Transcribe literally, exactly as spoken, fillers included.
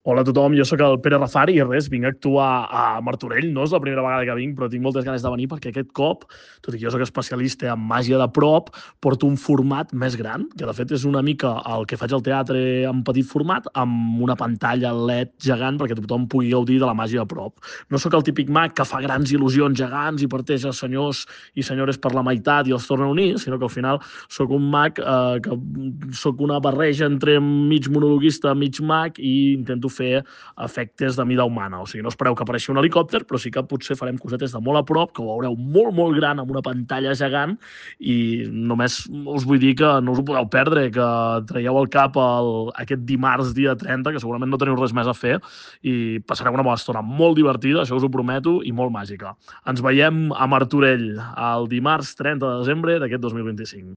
Hola a tothom, jo sóc el Pere Rafari i res, vinc a actuar a Martorell. No és la primera vegada que vinc, però tinc moltes ganes de venir perquè aquest cop, tot i que jo sóc especialista en màgia de prop, porto un format més gran, que de fet és una mica el que faig al teatre en petit format, amb una pantalla L E D gegant perquè tothom pugui gaudir de la màgia de prop. No sóc el típic mag que fa grans il·lusions gegants i parteix a senyors i senyores per la meitat i els torna a unir, sinó que al final sóc un mag eh, que sóc una barreja entre mig monologuista, mig mag i intento fer efectes de mida humana. O sigui, no espereu que apareixi un helicòpter, però sí que potser farem cosetes de molt a prop, que ho veureu molt, molt gran amb una pantalla gegant i només us vull dir que no us ho podeu perdre, que traieu el cap el, aquest dimarts, dia trenta, que segurament no teniu res més a fer i passareu una bona estona molt divertida, això us ho prometo, i molt màgica. Ens veiem a Martorell el dimarts trenta de desembre d'aquest dos mil vint-i-cinc.